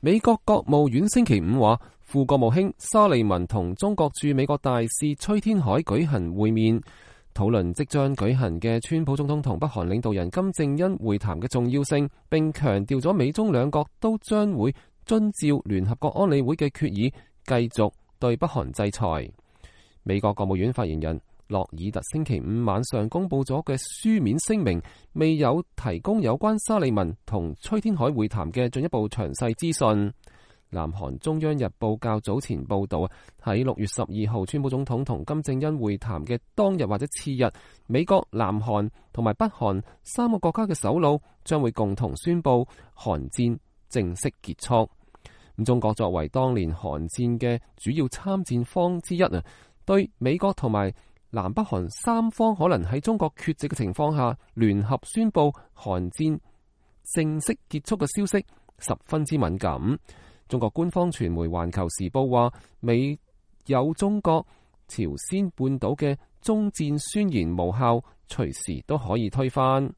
美國國務院星期五話，副國務卿沙利文同中國駐美國大使崔天凱舉行會面，討論即將舉行嘅川普總統同北韓領導人金正恩會談嘅重要性，並強調咗美中兩國都將會遵照聯合國安理會嘅決議，繼續對北韓制裁。美國國務院發言人洛爾特星期五晚上公布咗嘅書面聲明，未有提供有關沙利文同崔天凱會談嘅進一步詳細資訊。南韓中央日報較早前報道，喺6月12號川普總統同金正恩會談嘅當日或者次日，美國、南韓同埋北韓三個國家嘅首腦將會共同宣布韓戰正式結束。咁中國作為當年韓戰嘅主要參戰方之一啊，對美國同埋南北韓三方可能喺中國缺席嘅情況下聯合宣布韓戰正式結束嘅消息十分之敏感。中國官方傳媒《環球時報》話，美有中國朝鮮半島嘅終戰宣言無效，隨時都可以推翻。